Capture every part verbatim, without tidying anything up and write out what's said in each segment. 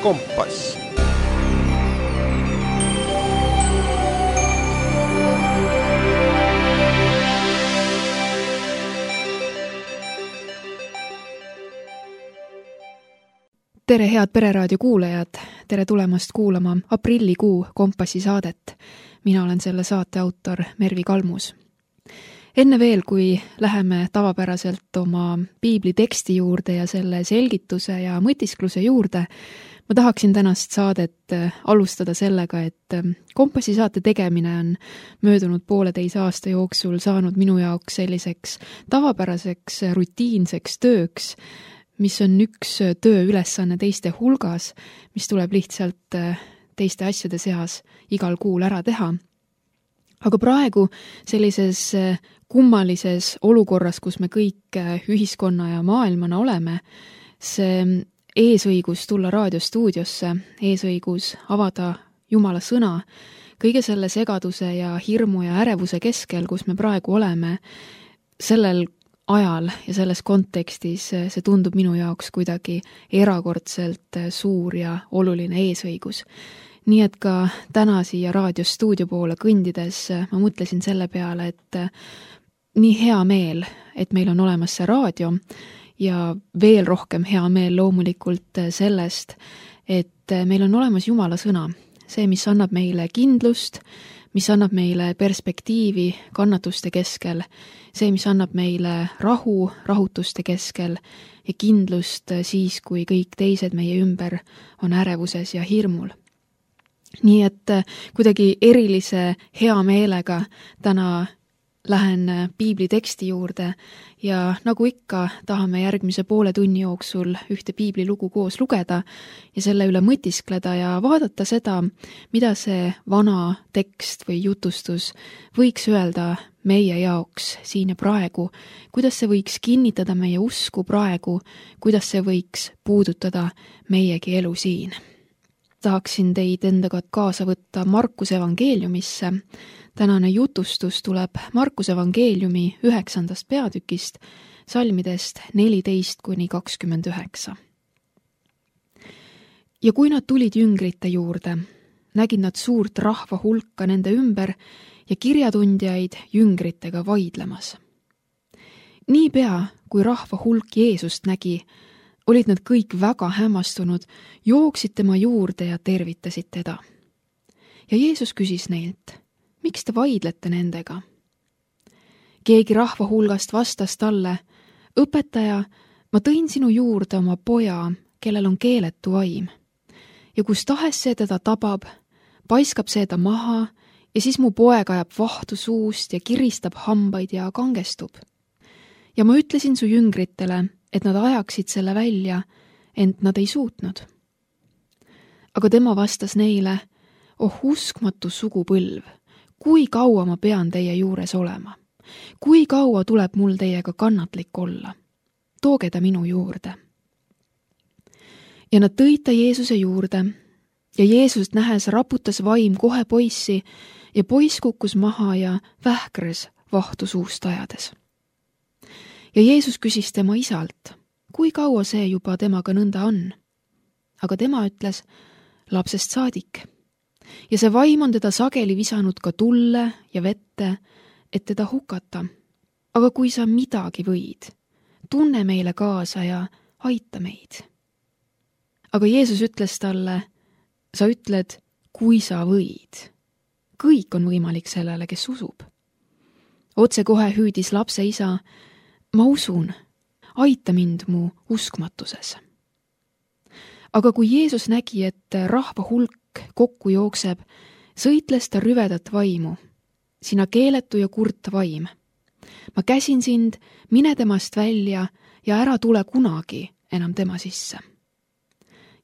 Kompass. Tere head Pereraadio kuulajad, tere tulemast kuulama aprillikuu Kompassi saadet. Mina olen selle saate autor Mervi Kalmus. Enne veel, kui läheme tavapäraselt oma piibli teksti juurde ja selle selgituse ja mõtiskluse juurde, ma tahaksin tänast saadet alustada sellega, et Kompassi saate tegemine on möödunud pooleteise aasta jooksul saanud minu jaoks selliseks tavapäraseks rutiinseks tööks, mis on üks tööülesanne teiste hulgas, mis tuleb lihtsalt teiste asjade seas igal kuul ära teha. Aga praegu sellises kummalises olukorras, kus me kõik ühiskonna ja maailmana oleme, see eesõigus tulla raadiostuudiosse, eesõigus avada Jumala sõna, kõige selle segaduse ja hirmu ja ärevuse keskel, kus me praegu oleme, sellel ajal ja selles kontekstis see tundub minu jaoks kuidagi erakordselt suur ja oluline eesõigus. Nii et ka täna siia raadiostuudio poole kõndides ma mõtlesin selle peale, et nii hea meel, et meil on olemas see raadio ja veel rohkem hea meel loomulikult sellest, et meil on olemas Jumala sõna, see, mis annab meile kindlust, mis annab meile perspektiivi kannatuste keskel, see, mis annab meile rahu rahutuste keskel ja kindlust siis, kui kõik teised meie ümber on ärevuses ja hirmul. Nii et kuidagi erilise hea meelega täna lähen piibli teksti juurde ja nagu ikka tahame järgmise poole tunni jooksul ühte piibli lugu koos lugeda ja selle üle mõtiskleda ja vaadata seda, mida see vana tekst või jutustus võiks öelda meie jaoks siin ja praegu, kuidas see võiks kinnitada meie usku praegu, kuidas see võiks puudutada meiegi elu siin. Tahaksin teid endaga kaasa võtta Markuse evangeeliumisse. Tänane jutustus tuleb Markuse evangeeliumi üheksandast peatükist, salmidest neliteist kuni kakskümmend üheksa. Ja kui nad tulid jüngrite juurde, nägid nad suurt rahva hulka nende ümber ja kirjatundjaid jüngritega vaidlemas. Niipea, kui rahva hulk Jeesust nägi, olid nad kõik väga hämmastunud, jooksid tema juurde ja tervitasid teda. Ja Jeesus küsis neilt, miks te vaidlete nendega? Keegi rahva hulgast vastas talle, õpetaja, ma tõin sinu juurde oma poja, kellel on keeletu vaim. Ja kus tahes see teda tabab, paiskab see ta maha ja siis mu poeg ajab vahtu suust ja kiristab hambaid ja kangestub. Ja ma ütlesin su jüngritele, et nad ajaksid selle välja, ent nad ei suutnud. Aga tema vastas neile, oh uskmatu sugupõlv, kui kaua ma pean teie juures olema? Kui kaua tuleb mul teiega kannatlik olla? Tooge ta minu juurde. Ja nad tõid ta Jeesuse juurde ja Jeesust nähes raputas vaim kohe poissi ja poiss kukkus maha ja vähkres vahtu suust ajades. Ja Jeesus küsis tema isalt, kui kaua see juba temaga nõnda on? Aga tema ütles, lapsest saadik. Ja see vaim on teda sageli visanud ka tulle ja vette, et teda hukata. Aga kui sa midagi võid, tunne meile kaasa ja aita meid. Aga Jeesus ütles talle, sa ütled, kui sa võid. Kõik on võimalik sellele, kes usub. Otse kohe hüüdis lapse isa, ma usun, aita mind mu uskmatuses. Aga kui Jeesus nägi, et rahva hulk kokku jookseb, sõitles ta rüvedat vaimu, sina keeletu ja kurt vaim. Ma käsin sind, mine temast välja ja ära tule kunagi enam tema sisse.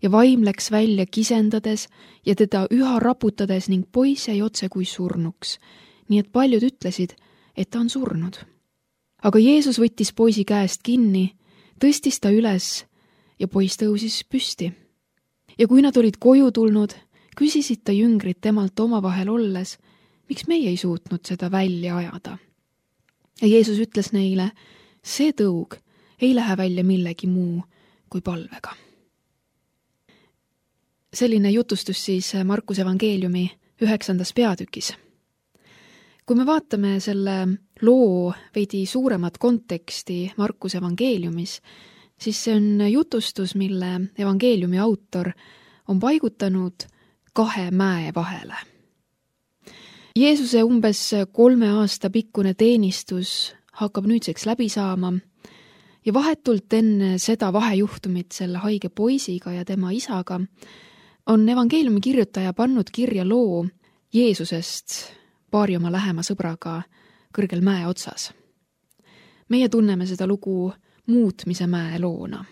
Ja vaim läks välja kisendades ja teda üha raputades ning poiss jäi otse kui surnuks, nii et paljud ütlesid, et ta on surnud. Aga Jeesus võttis poisi käest kinni, tõstis ta üles ja poiss tõusis püsti. Ja kui nad olid koju tulnud, küsisid ta jüngrid temalt omavahel olles, miks meie ei suutnud seda välja ajada. Ja Jeesus ütles neile, see tõug ei lähe välja millegi muu kui palvega. selline jutustus siis Markuse evangeeliumi üheksandas peatükis. Kui me vaatame selle loo veidi suuremat konteksti Markuse evangeeliumis, siis see on jutustus, mille evangeeliumi autor on paigutanud kahe mäe vahele. Jeesuse umbes kolme aasta pikkune teenistus hakkab nüüdseks läbi saama ja vahetult enne seda vahejuhtumit selle haige poisiga ja tema isaga on evangeeliumi kirjutaja pannud kirja loo Jeesusest paari oma lähema sõbraga kõrgel mäe otsas. Meie tunneme seda lugu muutmise mäe loona.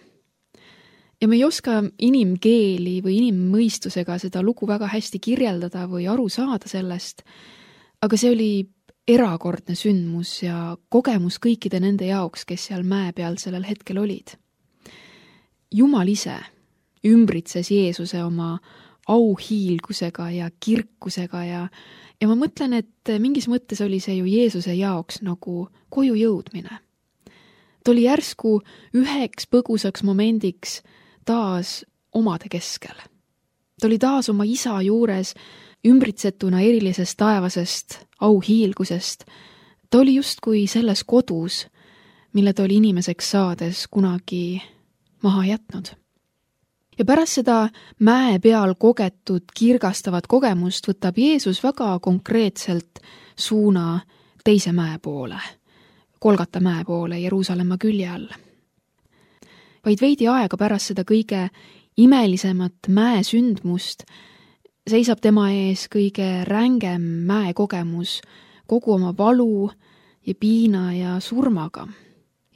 Ja me ei oska inimkeeli või inimmõistusega seda lugu väga hästi kirjeldada või aru saada sellest, aga see oli erakordne sündmus ja kogemus kõikide nende jaoks, kes seal mäe peal sellel hetkel olid. Jumal ise ümbritses Jeesuse oma auhiilgusega ja kirkusega ja, ja ma mõtlen, et mingis mõttes oli see ju Jeesuse jaoks nagu koju jõudmine. Ta oli järsku üheks põgusaks momendiks taas omade keskel. Ta oli taas oma isa juures ümbritsetuna erilisest taevasest auhiilgusest. Ta oli justkui selles kodus, mille ta oli inimeseks saades kunagi maha jätnud. Ja pärast seda mäe peal kogetud kirgastavat kogemust võtab Jeesus väga konkreetselt suuna teise mäe poole, Kolgata mäe poole Jeruusalemma külje all. Vaid veidi aega pärast seda kõige imelisemat mäe sündmust seisab tema ees kõige rängem mäe kogemus kogu oma valu ja piina ja surmaga.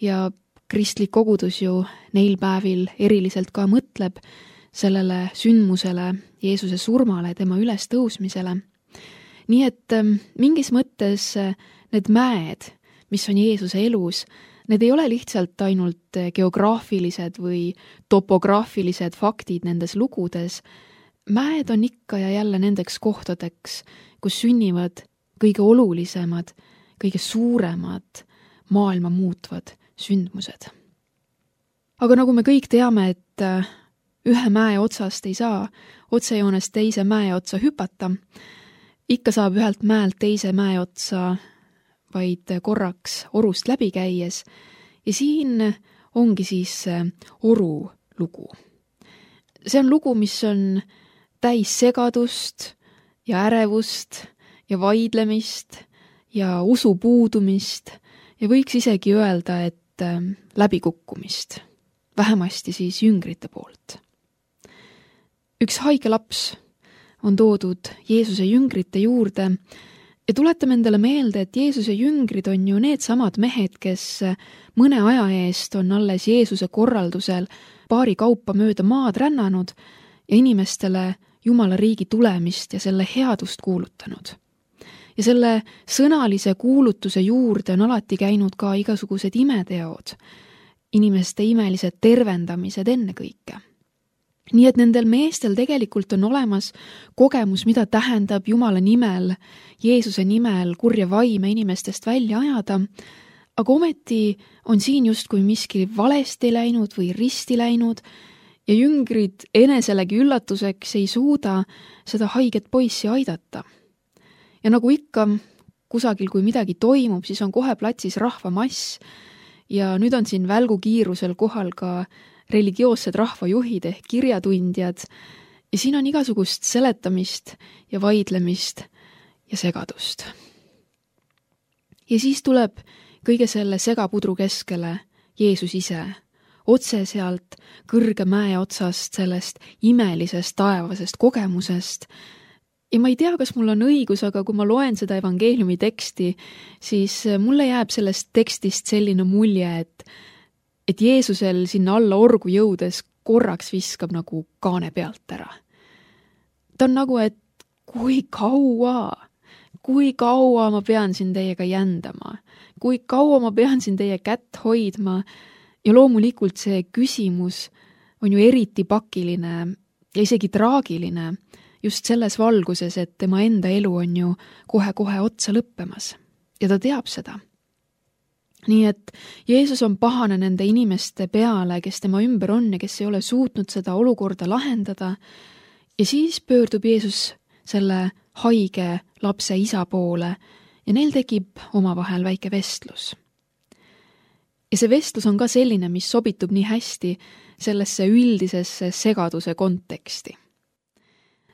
Ja kristlik kogudus ju neil päevil eriliselt ka mõtleb sellele sündmusele, Jeesuse surmale, tema üles tõusmisele. Nii et mingis mõttes need mäed, mis on Jeesuse elus, need ei ole lihtsalt ainult geograafilised või topograafilised faktid nendes lugudes. Mäed on ikka ja jälle nendeks kohtadeks, kus sünnivad kõige olulisemad, kõige suuremad, maailma muutvad sündmused. Aga nagu me kõik teame, et ühe mäe otsast ei saa otsejoonest teise mäe otsa hüpata, ikka saab ühelt mäelt teise mäe otsa vaid korraks orust läbi käies ja siin ongi siis oru lugu. See on lugu, mis on täis segadust ja ärevust ja vaidlemist ja usu puudumist ja võiks isegi öelda, et läbikukkumist, vähemasti siis jüngrite poolt. Üks haige laps on toodud Jeesuse jüngrite juurde ja tuletame endale meelde, et Jeesuse jüngrid on ju need samad mehed, kes mõne aja eest on alles Jeesuse korraldusel paari kaupa mööda maad rännanud ja inimestele Jumala riigi tulemist ja selle headust kuulutanud. Ja selle sõnalise kuulutuse juurde on alati käinud ka igasugused imeteod, inimeste imelised tervendamised ennekõike. Nii et nendel meestel tegelikult on olemas kogemus, mida tähendab Jumala nimel, Jeesuse nimel kurja vaime inimestest välja ajada, aga ometi on siin justkui miski valesti läinud või risti läinud ja jüngrid eneselegi üllatuseks ei suuda seda haiget poissi aidata. Ja nagu ikka, kusagil kui midagi toimub, siis on kohe platsis rahvamass ja nüüd on siin välgukiirusel kohal ka religioossed rahvajuhid ehk kirjatundjad ja siin on igasugust seletamist ja vaidlemist ja segadust. Ja siis tuleb kõige selle segapudru keskele Jeesus ise, otse sealt kõrge mäe otsast, sellest imelisest taevasest kogemusest. Ja ma ei tea, kas mul on õigus, aga kui ma loen seda evangeeliumi teksti, siis mulle jääb sellest tekstist selline mulje, et, et Jeesusel sinna alla orgu jõudes korraks viskab nagu kaane pealt ära. Ta on nagu, et kui kaua, kui kaua ma pean siin teiega jändama, kui kaua ma pean siin teie kätt hoidma ja loomulikult see küsimus on ju eriti pakiline ja isegi traagiline, just selles valguses, et tema enda elu on ju kohe-kohe otsa lõppemas ja ta teab seda. Nii et Jeesus on pahane nende inimeste peale, kes tema ümber on ja kes ei ole suutnud seda olukorda lahendada ja siis pöördub Jeesus selle haige lapse isa poole ja neil tekib omavahel väike vestlus. Ja see vestlus on ka selline, mis sobitub nii hästi sellesse üldisesse segaduse konteksti.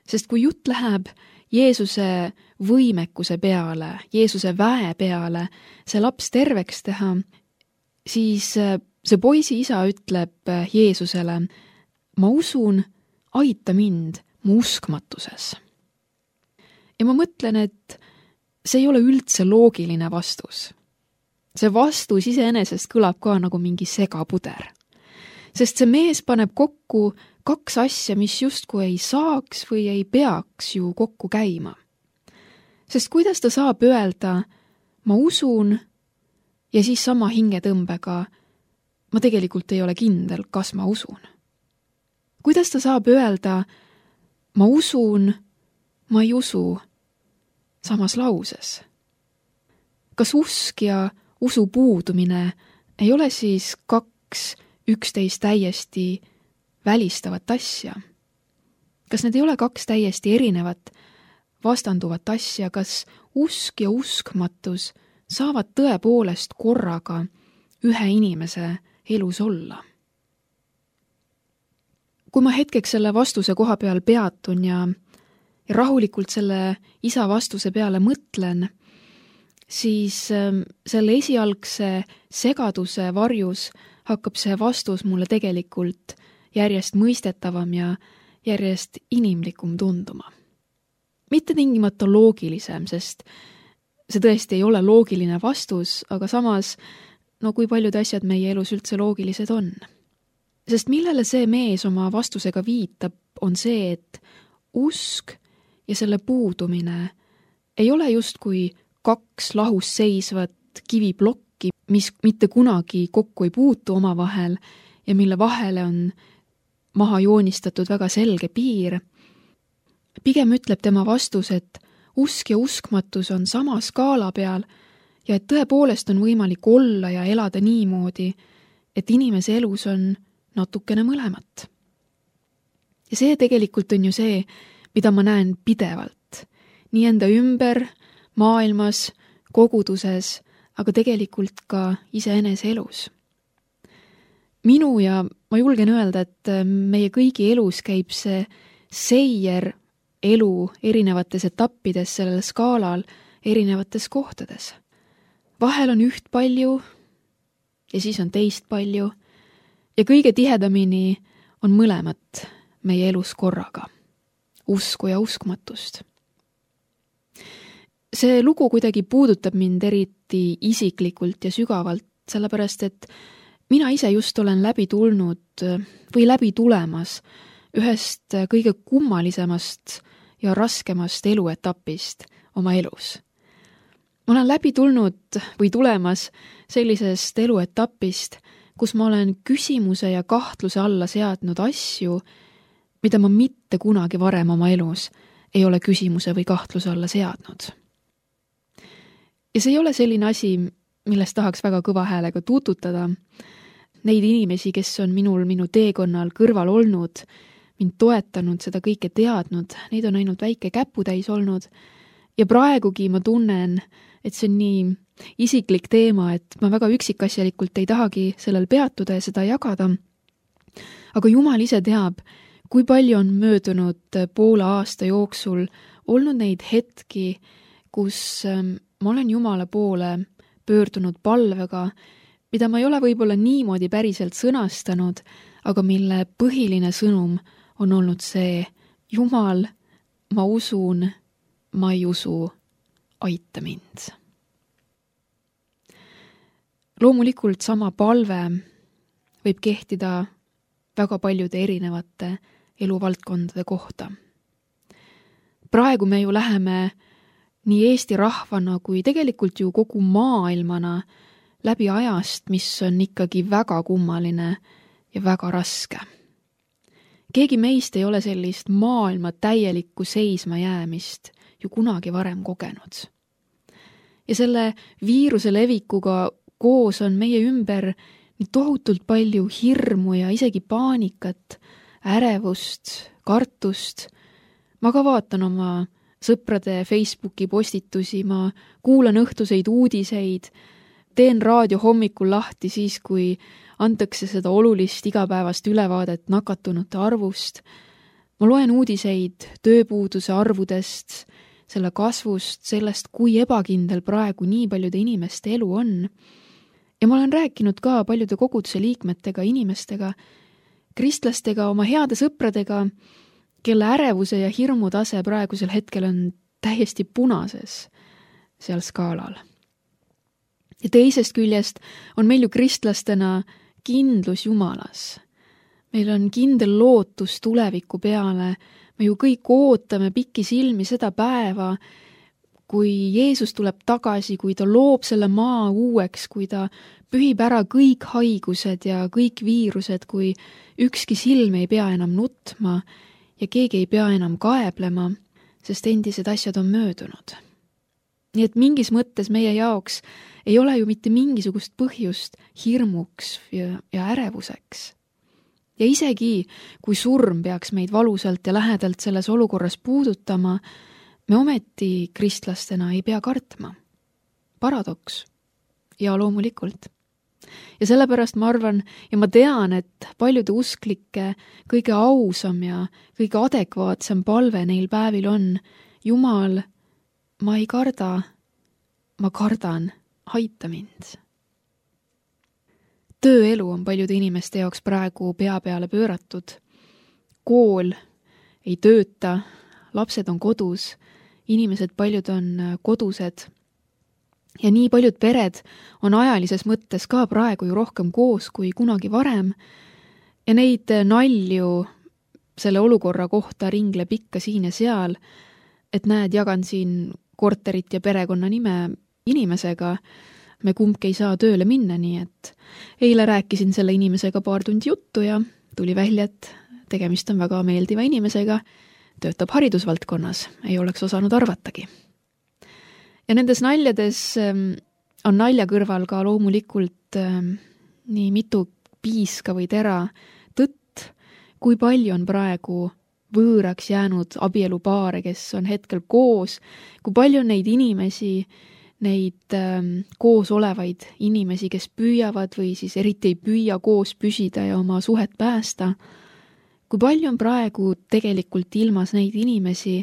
Sest kui jutt läheb Jeesuse võimekuse peale, Jeesuse väe peale, see laps terveks teha, siis see poisi isa ütleb Jeesusele, ma usun, aita mind mu uskmatuses. Ja ma mõtlen, et see ei ole üldse loogiline vastus. See vastus iseenesest kõlab ka nagu mingi segapuder. Sest see mees paneb kokku kaks asja, mis justkui ei saaks või ei peaks ju kokku käima. Sest kuidas ta saab öelda, ma usun, ja siis sama hingetõmbega, ma tegelikult ei ole kindel, kas ma usun. Kuidas ta saab öelda, ma usun, ma ei usu, samas lauses? Kas usk ja usu puudumine ei ole siis kaks üksteist täiesti välistavat asja? Kas need ei ole kaks täiesti erinevat, vastanduvat asja, kas usk ja uskmatus saavad tõepoolest korraga ühe inimese elus olla? Kui ma hetkeks selle vastuse koha peal peatun ja, ja rahulikult selle isa vastuse peale mõtlen, siis selle esialgse segaduse varjus hakkab see vastus mulle tegelikult järjest mõistetavam ja järjest inimlikum tunduma. Mitte tingimata loogilisem, sest see tõesti ei ole loogiline vastus, aga samas, no kui paljud asjad meie elus üldse loogilised on. Sest millele see mees oma vastusega viitab, on see, et usk ja selle puudumine ei ole justkui kaks lahus seisvat kiviplokki, mis mitte kunagi kokku ei puutu omavahel ja mille vahele on maha joonistatud väga selge piir. Pigem ütleb tema vastus, et usk ja uskmatus on sama skaala peal ja et tõepoolest on võimalik olla ja elada niimoodi, et inimese elus on natukene mõlemat. Ja see tegelikult on ju see, mida ma näen pidevalt, nii enda ümber, maailmas, koguduses, aga tegelikult ka iseenese elus. Minu ja ma julgen öelda, et meie kõigi elus käib see seier elu erinevates etappides sellel skaalal erinevates kohtades. Vahel on üht palju ja siis on teist palju ja kõige tihedamini on mõlemat meie elus korraga, usku ja uskmatust. See lugu kuidagi puudutab mind eriti isiklikult ja sügavalt, sellepärast et mina ise just olen läbi tulnud või läbi tulemas ühest kõige kummalisemast ja raskemast eluetapist oma elus. Ma olen läbi tulnud või tulemas sellisest eluetapist, kus ma olen küsimuse ja kahtluse alla seadnud asju, mida ma mitte kunagi varem oma elus ei ole küsimuse või kahtluse alla seadnud. Ja see ei ole selline asi, millest tahaks väga kõva häälega tuututada. Neid inimesi, kes on minul minu teekonnal kõrval olnud, mind toetanud, seda kõike teadnud, neid on ainult väike käputäis olnud ja praegugi ma tunnen, et see on nii isiklik teema, et ma väga üksikasjalikult ei tahagi sellel peatuda ja seda jagada. Aga Jumal ise teab, kui palju on möödunud poole aasta jooksul olnud neid hetki, kus ma olen Jumala poole pöördunud palvega, mida ma ei ole võib-olla niimoodi päriselt sõnastanud, aga mille põhiline sõnum on olnud see, Jumal, ma usun, ma ei usu, aita mind. Loomulikult sama palve võib kehtida väga paljude erinevate eluvaldkondade kohta. Praegu me ju läheme nii Eesti rahvana kui tegelikult ju kogu maailmana läbi ajast, mis on ikkagi väga kummaline ja väga raske. Keegi meist ei ole sellist maailma täielikku seisma jäämist ju kunagi varem kogenud. Ja selle viiruse levikuga koos on meie ümber nii tohutult palju hirmu ja isegi paanikat, ärevust, kartust, ma ka vaatan oma sõprade Facebooki postitusi, ma kuulan õhtuseid uudiseid, teen raadio hommikul lahti siis, kui antakse seda olulist igapäevast ülevaadet nakatunute arvust. Ma loen uudiseid tööpuuduse arvudest, selle kasvust, sellest, kui ebakindel praegu nii paljude inimeste elu on. Ja ma olen rääkinud ka paljude koguduse liikmetega, inimestega, kristlastega, oma heade sõpradega, kelle ärevuse ja hirmu tase praegusel hetkel on täiesti punases seal skaalal. Ja teisest küljest on meil ju kristlastena kindlus Jumalas. Meil on kindel lootus tuleviku peale. Me ju kõik ootame pikki silmi seda päeva, kui Jeesus tuleb tagasi, kui ta loob selle maa uueks, kui ta pühib ära kõik haigused ja kõik viirused, kui ükski silm ei pea enam nutma ja keegi ei pea enam kaeblema, sest endised asjad on möödunud. Nii et mingis mõttes meie jaoks ei ole ju mitte mingisugust põhjust hirmuks ja, ja ärevuseks. Ja isegi, kui surm peaks meid valusalt ja lähedalt selles olukorras puudutama, me ometi kristlastena ei pea kartma. Paradoks. Ja loomulikult. Ja sellepärast ma arvan ja ma tean, et paljude usklike kõige ausam ja kõige adekvaatsem palve neil päevil on: Jumal, ma ei karda, ma kardan, aita mind. Tööelu on paljude inimeste jaoks praegu pea peale pööratud. Kool ei tööta, lapsed on kodus, inimesed paljud on kodused. Ja nii paljud pered on ajalises mõttes ka praegu ju rohkem koos kui kunagi varem. Ja neid nalju selle olukorra kohta ringleb ikka siin ja seal, et näed, jagan siin korterit ja perekonna nime inimesega, me kumbki ei saa tööle minna, nii et eile rääkisin selle inimesega paar tundi juttu ja tuli välja, et tegemist on väga meeldiva inimesega, töötab haridusvaldkonnas, ei oleks osanud arvatagi. Ja nendes naljades on nalja kõrval ka loomulikult nii mitu piiska või tera tõtt, kui palju on praegu võõraks jäänud abielupaare, kes on hetkel koos, kui palju on neid inimesi, neid ähm, koos olevaid inimesi, kes püüavad või siis eriti ei püüa koos püsida ja oma suhet päästa. Kui palju on praegu tegelikult ilmas neid inimesi,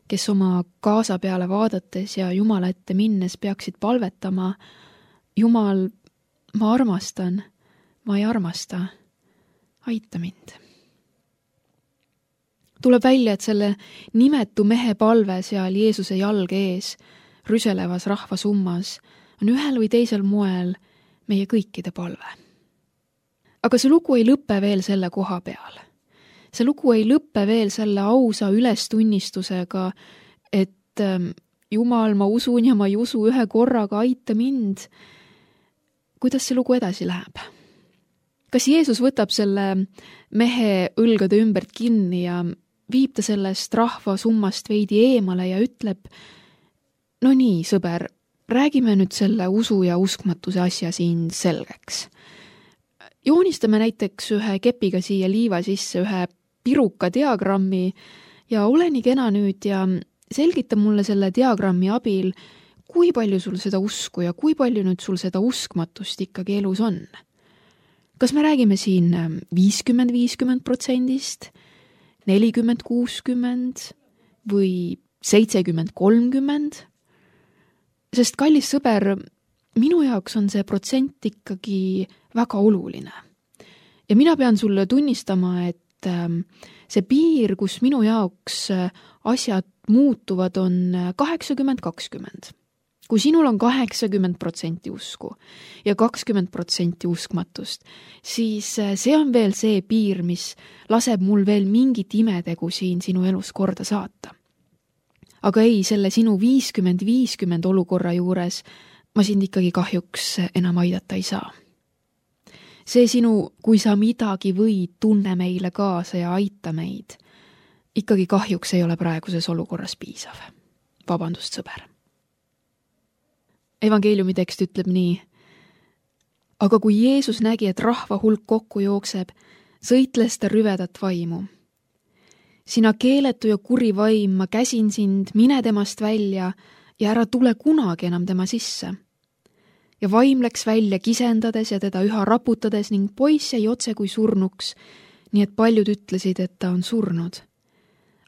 kes oma kaasa peale vaadates ja Jumala ette minnes peaksid palvetama: Jumal, ma armastan, ma ei armasta, aita mind. Tuleb välja, et selle nimetu mehe palve seal Jeesuse jalge ees, rüselevas rahvasummas, on ühel või teisel moel meie kõikide palve. Aga see lugu ei lõpe veel selle koha peal. See lugu ei lõpe veel selle ausa ülestunnistusega, et Jumal, ma usun ja ma ei usu ühe korraga, aita mind. Kuidas see lugu edasi läheb? Kas Jeesus võtab selle mehe õlgade ümbert kinni ja viib ta sellest rahvasummast veidi eemale ja ütleb: no nii, sõber, räägime nüüd selle usu ja uskmatuse asja siin selgeks. Joonistame näiteks ühe kepiga siia liiva sisse ühe piruka diagrammi ja ole nii kena nüüd ja selgita mulle selle diagrammi abil, kui palju sul seda usku ja kui palju nüüd sul seda uskmatust ikkagi elus on. Kas me räägime siin viiskümmend viiskümmend protsendist, nelikümmend kuuskümmend või seitsekümmend kolmkümmend? Sest kallis sõber, minu jaoks on see protsent ikkagi väga oluline. Ja mina pean sulle tunnistama, et see piir, kus minu jaoks asjad muutuvad, on kaheksakümmend kakskümmend. Kui sinul on kaheksakümmend protsenti usku ja kakskümmend protsenti uskmatust, siis see on veel see piir, mis laseb mul veel mingit imetegu siin sinu elus korda saata. Aga ei, selle sinu viiskümmend viiskümmend olukorra juures ma sind ikkagi kahjuks enam aidata ei saa. See sinu, kui sa midagi võid, tunne meile kaasa ja aita meid, ikkagi kahjuks ei ole praeguses olukorras piisav. Vabandust, sõber. Evangeeliumi tekst ütleb nii: aga kui Jeesus nägi, et rahva hulk kokku jookseb, sõitles ta rüvedat vaimu. sina keeletu ja kuri vaim, ma käsin sind, mine temast välja ja ära tule kunagi enam tema sisse. Ja vaim läks välja kisendades ja teda üha raputades ning poiss jäi otse kui surnuks, nii et paljud ütlesid, et ta on surnud.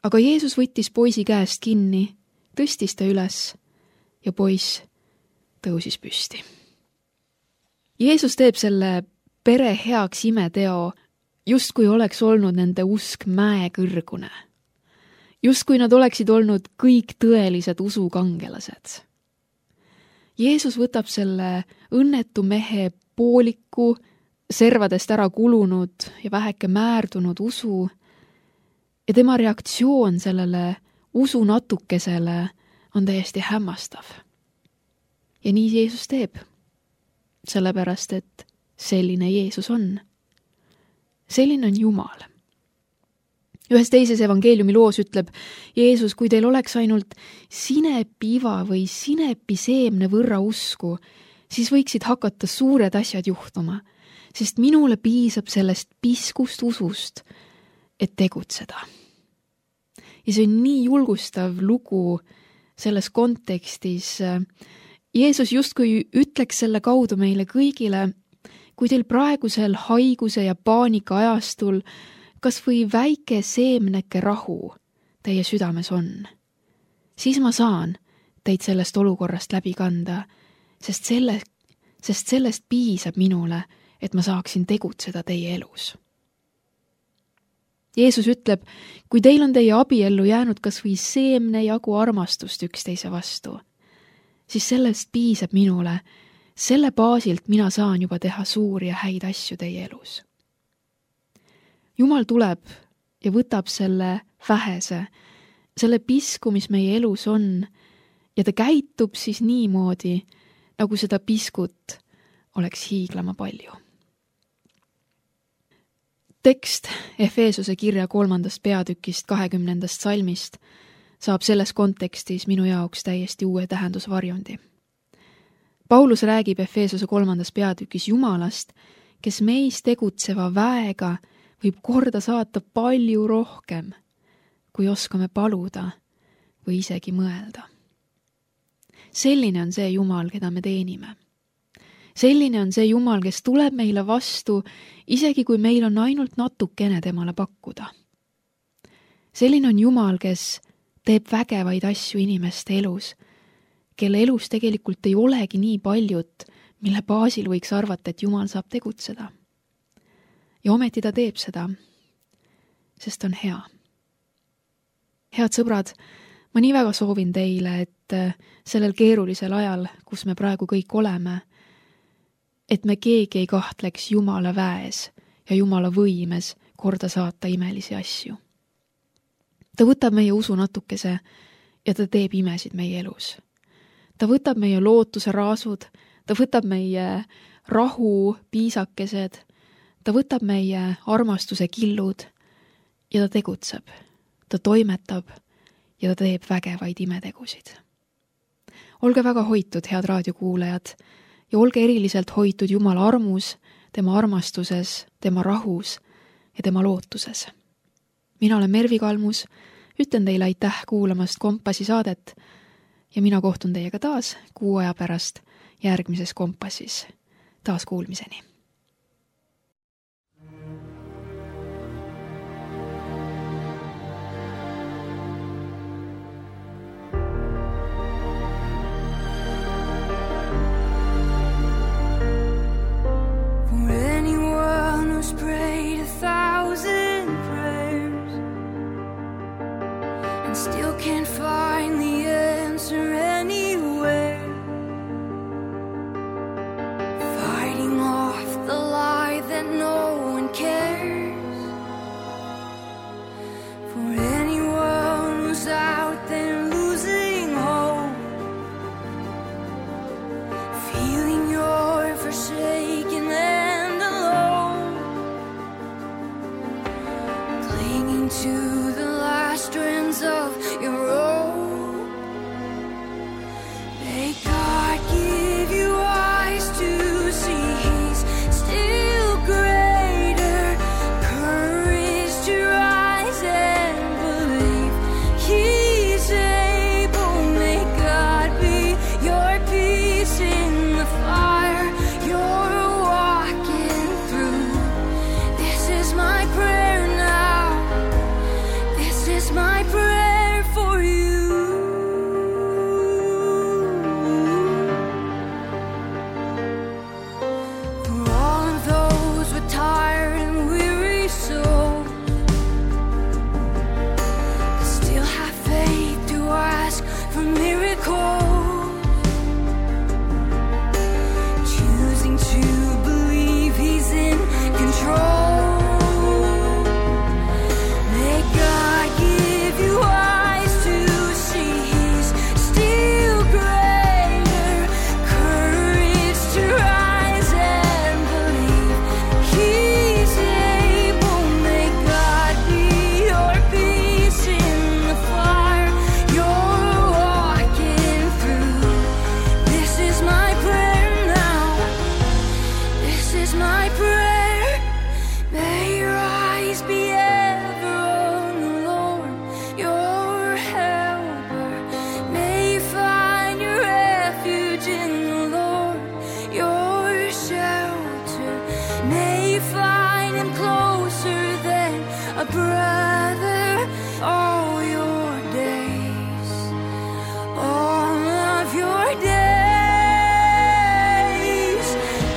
Aga Jeesus võttis poisi käest kinni, tõstis ta üles ja poiss tõusis püsti. Jeesus teeb selle pere heaks imeteo, justkui oleks olnud nende usk mäekõrgune. Justkui nad oleksid olnud kõik tõelised usukangelased. Jeesus võtab selle õnnetu mehe pooliku, servadest ära kulunud ja väheke määrdunud usu ja tema reaktsioon sellele usu natukesele on täiesti hämmastav. Ja nii Jeesus teeb, sellepärast et selline Jeesus on. Selline on Jumal. Ühes teises evangeeliumi loos ütleb Jeesus, kui teil oleks ainult sinepiiva või sinepiseemne võrra usku, siis võiksid hakata suured asjad juhtuma, sest minule piisab sellest piskust usust, et tegutseda. Ja see on nii julgustav lugu selles kontekstis. Jeesus justkui ütleks selle kaudu meile kõigile, kui teil praegusel haiguse ja paanika ajastul kas või väike seemneke rahu teie südames on, siis ma saan teid sellest olukorrast läbi kanda, sest, selle, sest sellest piisab minule, et ma saaksin tegutseda teie elus. Jeesus ütleb, kui teil on teie abiellu jäänud kas või seemne jagu armastust üksteise vastu, siis sellest piisab minule, selle baasilt mina saan juba teha suuri ja häid asju teie elus. Jumal tuleb ja võtab selle vähese, selle pisku, mis meie elus on, ja ta käitub siis niimoodi, nagu seda piskut oleks hiiglama palju. Tekst Efeesuse kirja kolmandast peatükist kahekümnendast salmist saab selles kontekstis minu jaoks täiesti uue tähendusvarjundi. Paulus räägib Efeesuse kolmandas peatükis Jumalast, kes meis tegutseva väega võib korda saata palju rohkem, kui oskame paluda või isegi mõelda. Selline on see Jumal, keda me teenime. Selline on see Jumal, kes tuleb meile vastu, isegi kui meil on ainult natukene temale pakkuda. Selline on Jumal, kes teeb vägevaid asju inimeste elus, kelle elus tegelikult ei olegi nii paljut, mille baasil võiks arvata, et Jumal saab tegutseda. Ja ometi ta teeb seda, sest on hea. Head sõbrad, ma nii väga soovin teile, et sellel keerulisel ajal, kus me praegu kõik oleme, et me keegi ei kahtleks Jumala väes ja Jumala võimes korda saata imelisi asju. Ta võtab meie usu natukese ja ta teeb imesid meie elus. Ta võtab meie lootuse raasud, ta võtab meie rahu piisakesed, ta võtab meie armastuse killud ja ta tegutseb, ta toimetab ja ta teeb vägevaid imetegusid. Olge väga hoitud, head raadiokuulajad, ja olge eriliselt hoitud Jumala armus, tema armastuses, tema rahus ja tema lootuses. Mina olen Mervi Kalmus, ütlen teile aitäh kuulamast Kompassi saadet ja mina kohtun teiega taas kuu aja pärast järgmises Kompassis. Taas kuulmiseni. Prayed a thousand prayers and still can't find the answer anywhere, fighting off peace in the fire you're walking through. This is my prayer now. This is my prayer for you. For all of those with tired and weary souls, still have faith to ask for miracles, choosing to believe He's in control. May God give you eyes to see He's still greater, courage to rise and believe He's able. May God be your peace in the fire you're walking through. This is my prayer now. This is my prayer. May your eyes be ever on the Lord, your helper. May you find your refuge in the Lord, your shelter. May you find Him closer than a brother all your days, all of your days.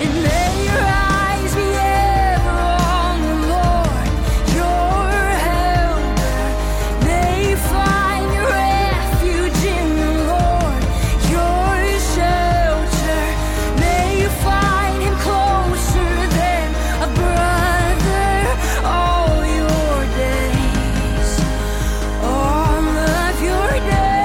And may your eyes be ever on the Lord, your helper. May you find your refuge in the Lord, your shelter. May you find Him closer than a brother all your days, all of your days.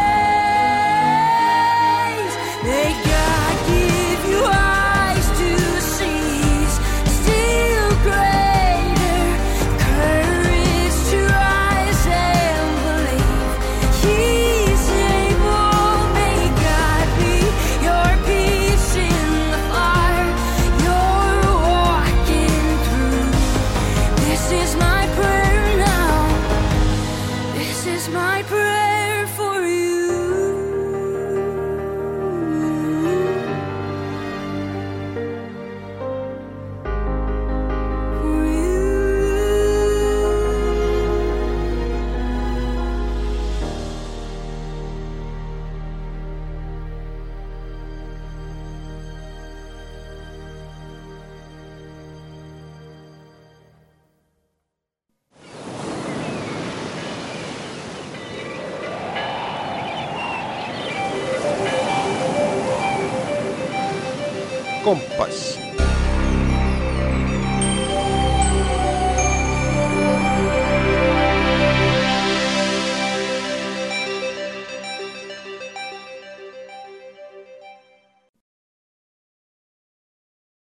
May God give you eyes to see He's still greater, courage to rise and believe He's able. May God be your peace in the fire you're walking through. This is my prayer now. This is my prayer for you. For you. Kompass.